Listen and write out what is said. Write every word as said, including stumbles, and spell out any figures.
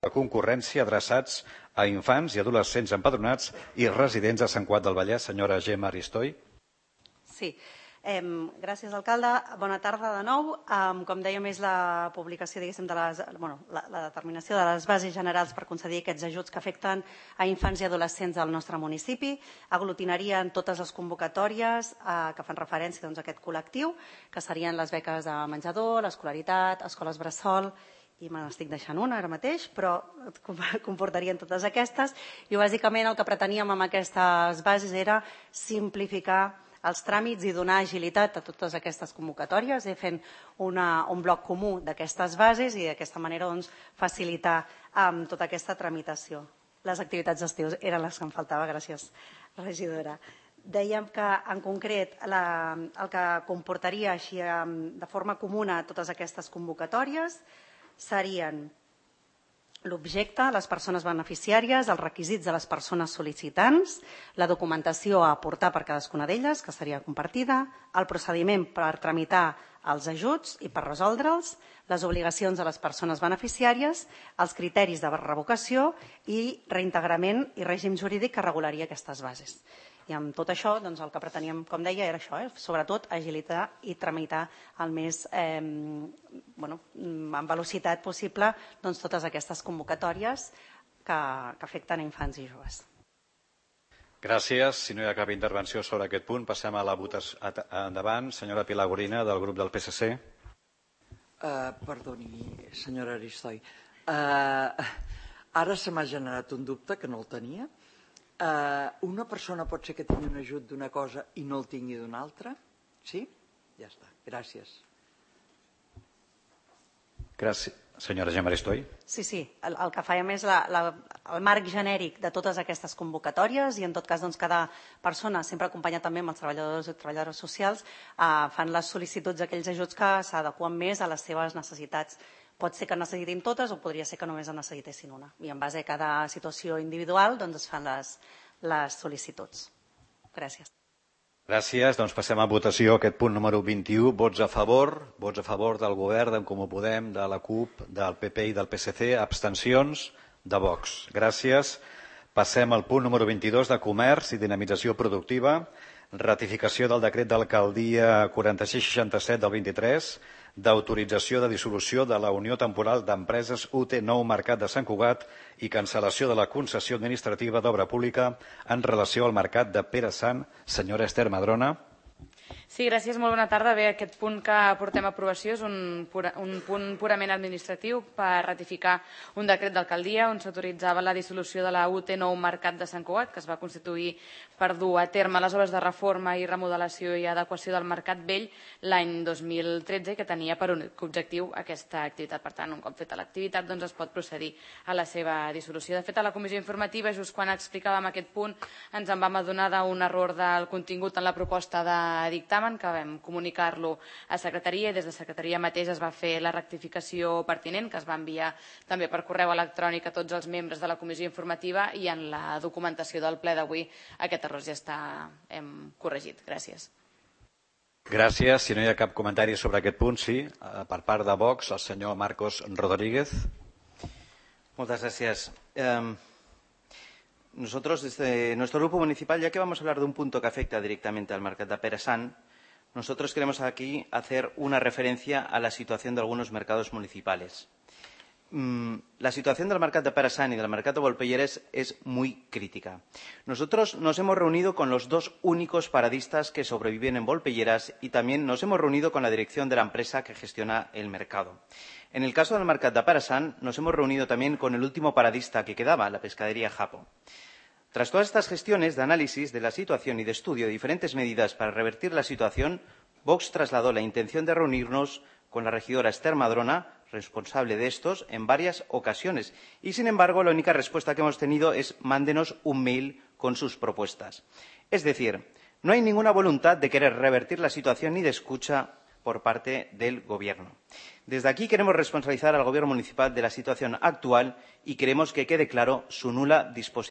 de concurrència adreçats a infants i adolescents empadronats i residents a Sant Cugat del Vallès. Senyora Gemma Aristoi. Sí. Eh, gràcies, alcalde. Bona tarda de nou. Eh, com dèiem, és la publicació, diguéssim, de les, bueno, la, la determinació de les bases generals per concedir aquests ajuts que afecten a infants i adolescents del nostre municipi. Aglutinarien totes les convocatòries eh, que fan referència doncs, a aquest col·lectiu, que serien les beques de menjador, l'escolaritat, escoles bressol, i me n'estic deixant una ara mateix, però comportarien totes aquestes. I bàsicament el que preteníem amb aquestes bases era simplificar els tràmits i donar agilitat a totes aquestes convocatòries, i fent una, un bloc comú d'aquestes bases i d'aquesta manera doncs, facilitar um, tota aquesta tramitació. Les activitats d'estiu eren les que em faltava, gràcies, regidora. Dèiem que, en concret, la, el que comportaria així um, de forma comuna totes aquestes convocatòries serien l'objecte, les persones beneficiàries, els requisits de les persones sol·licitants, la documentació a aportar per cadascuna d'elles, que seria compartida, el procediment per tramitar els ajuts i per resoldre'ls, les obligacions de les persones beneficiàries, els criteris de revocació i reintegrament i règim jurídic que regularia aquestes bases. I amb tot això, doncs, el que preteníem, com deia, era això, eh? Sobretot agilitar i tramitar el més, eh, bueno, amb velocitat possible doncs, totes aquestes convocatòries que, que afecten a infants i joves. Gràcies. Si no hi ha cap intervenció sobre aquest punt, passem a la votació. Endavant, senyora Pilar Gorina, del grup del P S C. Uh, perdoni, senyora Aristoi. Uh, ara se m'ha generat un dubte que no el tenia. Uh, una persona pot ser que tingui un ajut d'una cosa i no el tingui d'una altra? Sí? Ja està. Gràcies. Gràcies. Senyora Gemma Aristoi. Sí, sí. El, el que fèiem és la, la, el marc genèric de totes aquestes convocatòries i, en tot cas, doncs, cada persona, sempre acompanyat també amb els treballadors i treballadores socials, eh, fan les sol·licituds d'aquells ajuts que s'adeqüen més a les seves necessitats. Pot ser que necessitin totes o podria ser que només en necessitessin una. I en base a cada situació individual doncs es fan les, les sol·licituds. Gràcies. Gràcies. Doncs passem a votació aquest punt número vint-i-u. Vots a favor. Vots a favor del Govern, d'en Comú Podem, de la CUP, del P P i del P S C. Abstencions de Vox. Gràcies. Passem al punt número vint-i-dos de Comerç i Dinamització Productiva. Ratificació del decret d'alcaldia quaranta-sis seixanta-set del vint-i-tres, d'autorització de dissolució de la Unió Temporal d'Empreses U T Nou Mercat de Sant Cugat i cancel·lació de la concessió administrativa d'obra pública en relació al mercat de Pere Sant. Senyora Esther Madrona. Sí, gràcies. Molt bona tarda. Bé, aquest punt que portem a aprovació és un, pura, un punt purament administratiu per ratificar un decret d'alcaldia on s'autoritzava la dissolució de la U T Nou Mercat de Sant Cugat, que es va constituir per dur a terme les obres de reforma i remodelació i adequació del Mercat Vell l'any dos mil tretze, que tenia per únic objectiu aquesta activitat. Per tant, un cop feta l'activitat, doncs es pot procedir a la seva dissolució. De fet, a la comissió informativa, just quan explicàvem aquest punt, ens en vam adonar d'un error del contingut en la proposta de dictamen, que vam comunicar-lo a secretaria i des de secretaria mateix es va fer la rectificació pertinent, que es va enviar també per correu electrònic a tots els membres de la comissió informativa, i en la documentació del ple d'avui aquest error ja està hem corregit. Gràcies. Gràcies. Si no hi ha cap comentari sobre aquest punt, sí. Per part de Vox, el senyor Marcos Rodríguez. Muchas gracias. Eh, nosotros, desde nuestro grupo municipal, ya que vamos a hablar de un punto que afecta directamente al mercat de Pere Sant, nosotros queremos aquí hacer una referencia a la situación de algunos mercados municipales. Mm, la situación del mercat de Pere Sant y del mercat de Volpelleres es muy crítica. Nosotros nos hemos reunido con los dos únicos paradistas que sobreviven en Volpelleras y también nos hemos reunido con la dirección de la empresa que gestiona el mercado. En el caso del mercat de Pere Sant, nos hemos reunido también con el último paradista que quedaba, la pescadería Japo. Tras todas estas gestiones de análisis de la situación y de estudio de diferentes medidas para revertir la situación, Vox trasladó la intención de reunirnos con la regidora Esther Madrona, responsable de estos, en varias ocasiones. Y, sin embargo, la única respuesta que hemos tenido es mándenos un mail con sus propuestas. Es decir, no hay ninguna voluntad de querer revertir la situación ni de escucha por parte del Gobierno. Desde aquí queremos responsabilizar al Gobierno municipal de la situación actual y queremos que quede claro su nula disposición